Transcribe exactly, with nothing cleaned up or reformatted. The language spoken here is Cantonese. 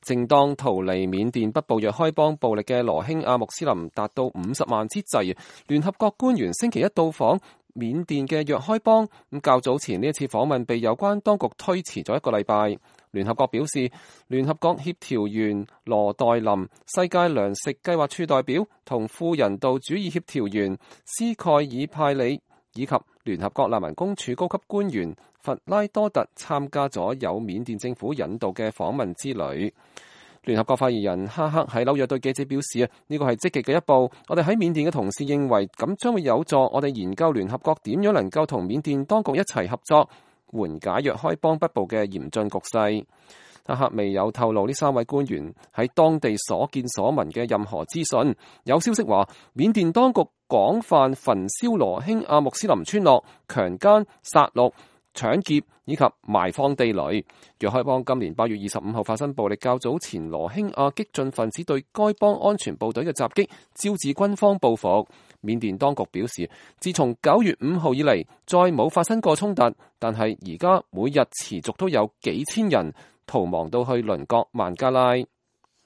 正當逃離緬甸北部若開邦暴力嘅羅興亞穆斯林達到五十萬之際，聯合國官員星期一到訪緬甸嘅若開邦。咁較早前呢一次訪問被有關當局推遲咗一個禮拜。聯合國表示，聯合國協調員羅代林、世界糧食計劃處代表同副人道主義協調員斯蓋爾派里以及聯合國難民公署高級官員弗拉多特參加咗由緬甸政府引導嘅訪問之旅。聯合國發言人哈克喺紐約對記者表示啊，呢個係積極嘅一步。我哋喺緬甸嘅同事認為咁將會有助我哋研究聯合國點樣能夠同緬甸當局一齊合作，緩解若開邦北部嘅嚴峻局勢。哈克未有透露呢三位官員喺當地所見所聞嘅任何資訊。有消息話，緬甸當局廣泛焚燒羅興亞穆斯林村落，強姦、殺戮、搶劫以及埋放地雷。若開邦今年八月二十五號發生暴力，較早前羅興亞激進分子對該邦安全部隊嘅襲擊，招致軍方報復。緬甸當局表示，自從九月五號以嚟，再冇發生過衝突，但係而家每日持續都有幾千人逃亡到去鄰國孟加拉。